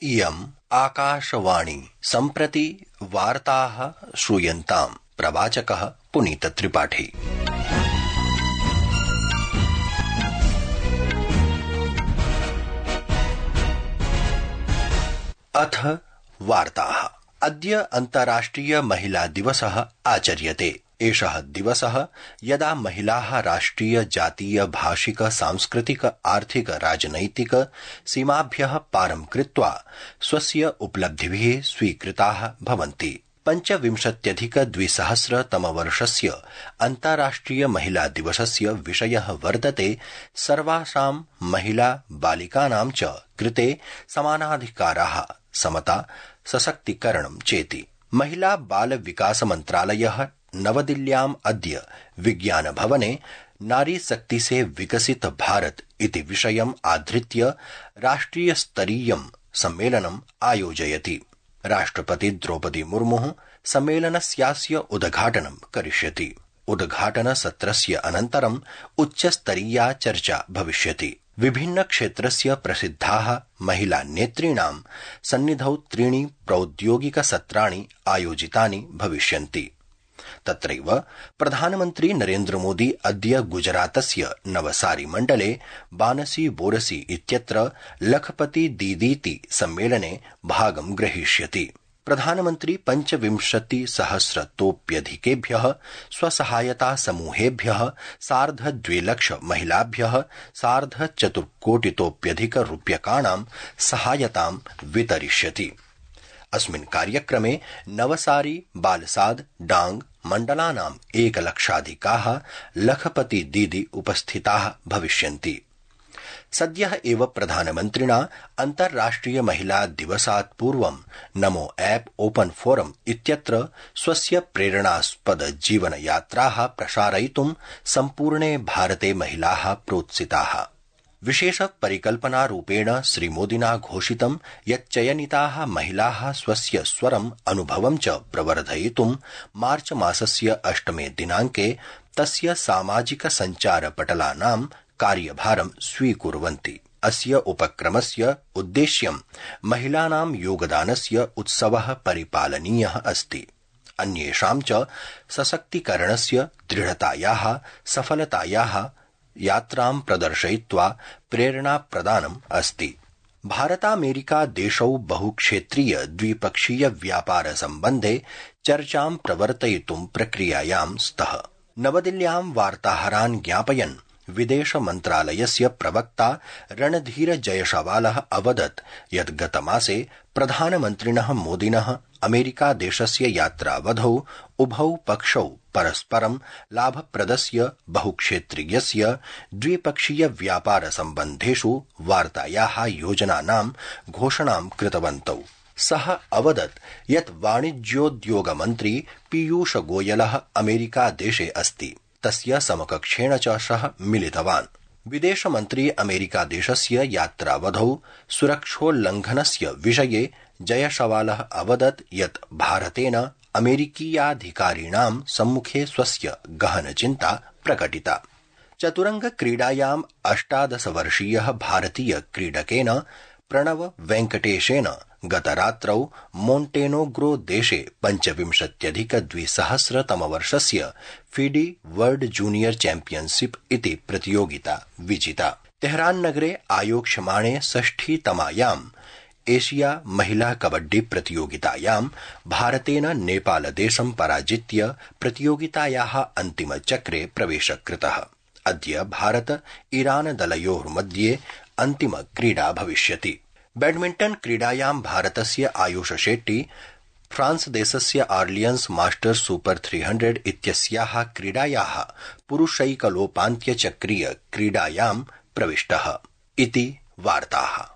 इयम् आकाशवाणी सम्प्रति वार्ताः श्रूयन्ताम्। प्रवाचकः पुनीत त्रिपाठी। अथ वार्ताः। अद्य अन्ताराष्ट्रिय महिला दिवसः आचर्यते। एषः दिवसः यदा महिलाः राष्ट्रिय जातीय भाषिक सांस्कृतिक आर्थिक राजनैतिक सीमाभ्यः पारं कृत्वा स्वस्य उपलब्धिभिः स्वीकृताः भवन्ति। 25,2000 तमवर्षस्य अन्ताराष्ट्रिय महिला दिवसस्य विषयः वर्तते सर्वासां महिला बालिकानां च कृते समानाधिकाराः, समता, सशक्तीकरणं चेति। महिला बाल विकास मन्त्रालयः नवदिल्ल्याम् अद्य विज्ञान भवने नारी शक्ति से विकसित भारत इति विषयम् आधृत्य राष्ट्रिय स्तरीयं सम्मेलनम् आयोजयति। राष्ट्रपति द्रौपदी मुर्मुः सम्मेलनस्यास्य उद्घाटनं करिष्यति। उद्घाटन सत्रस्य अनन्तरम् उच्चस्तरीया चर्चा भविष्यति। विभिन्न क्षेत्रस्य प्रसिद्धाः महिला नेतॄणां सन्निधौ 3 प्रौद्योगिक सत्राणि आयोजितानि भविष्यन्ति। तत्रैव प्रधानमन्त्री नरेन्द्र मोदी अद्य गुजरातस्य नवसारी मण्डले बानसी बोरसी इत्यत्र लखपति दीदीति सम्मेलने भागं ग्रहीष्यति। प्रधानमन्त्री 25,000 स्वसहायता समूहेभ्यः 2.5 लाख महिलाभ्यः 4.25 कोटितोप्यधिक रूप्यकाणां सहायतां वितरिष्यति। अस्मिन् कार्यक्रमे नवसारी, बालसाद, डांग मण्डलानां 1 लक्षाधिकाः लखपति दीदी उपस्थिताः भविष्यन्ति। सद्यः एव प्रधानमन्त्रिणा अन्ताराष्ट्रिय महिला दिवसात् पूर्वं नमो ऐप ओपन फोरम इत्यत्र स्वस्य प्रेरणास्पद जीवन यात्राः प्रसारयितुं सम्पूर्णे भारते महिलाः प्रोत्सिताः। विशेष परिकल्पनारूपेण श्रीमोदिना घोषितं यत् चयनिताः महिलाः स्वस्य स्वरम् अनुभवं च प्रवर्धयितुं मार्च मासस्य 8 दिनाङ्के तस्य सामाजिक सञ्चारपटलानां कार्यभारं स्वीकुर्वन्ति। अस्य उपक्रमस्य उद्देश्यं महिलानां योगदानस्य उत्सवः परिपालनीयः अस्ति। अन्येषां च सशक्तीकरणस्य, दृढतायाः, सफलतायाः यात्रां प्रदर्शयित्वा प्रेरणा प्रदानम् अस्ति। भारतामेरिका देशौ बहुक्षेत्रीय द्विपक्षीय व्यापार सम्बन्धे चर्चां प्रवर्तयितुं प्रक्रियायां स्तः। नवदिल्ल्यां वार्ताहरान् ज्ञापयन् विदेश मन्त्रालयस्य प्रवक्ता रणधीर जयशवालः अवदत् यत् गतमासे प्रधानमन्त्रिणः मोदिनः अमेरिका देशस्य यात्रावधौ उभौ पक्षौ परस्परं लाभप्रदस्य बहुक्षेत्रीयस्य द्विपक्षीय व्यापार सम्बन्धेषु वार्तायाः योजनानां घोषणां कृतवन्तौ। सः अवदत् यत् वाणिज्योद्योगमन्त्री पीयूष गोयलः अमेरिका देशे अस्ति। तस्य समकक्षेण च सः मिलितवान्। विदेशमन्त्री अमेरिका देशस्य यात्रावधौ सुरक्षोल्लङ्घनस्य विषये जयशवालः अवदत् यत् भारतेन अमेरिकीयाधिकारिणां सम्मुखे स्वस्य गहनचिन्ता प्रकटिता। चतुरंग क्रीडायां 18 वर्षीयः भारतीय क्रीडकेन प्रणव वेंकटेशेन गतरात्रौ मोन्टेनोग्रो देशे 25,200 तमवर्षस्य फीडी वर्ल्ड जूनियर चैंपियनशिप इति प्रतियोगिता विजिता। तेहरान नगरे आयोक्ष्यमाणे 6तमायां एशिया महिला कबड्डी प्रतियोगितायां भारतेन नेपालदेशं पराजित्य प्रतियोगितायाः अन्तिमचक्रे प्रवेशः कृतः। अद्य भारत ईरान दलयोर्मध्ये अन्तिम क्रीडा भविष्यति। बैडमिंटन क्रीडायां भारतस्य आयुष शेट्टी फ्रांस देशस्य आर्लियन्स मास्टर्स सुपर 300 इत्यस्याः क्रीडायाः पुरुषैकलोपान्त्यचक्रीय क्रीडायां प्रविष्टः इति वार्ताः।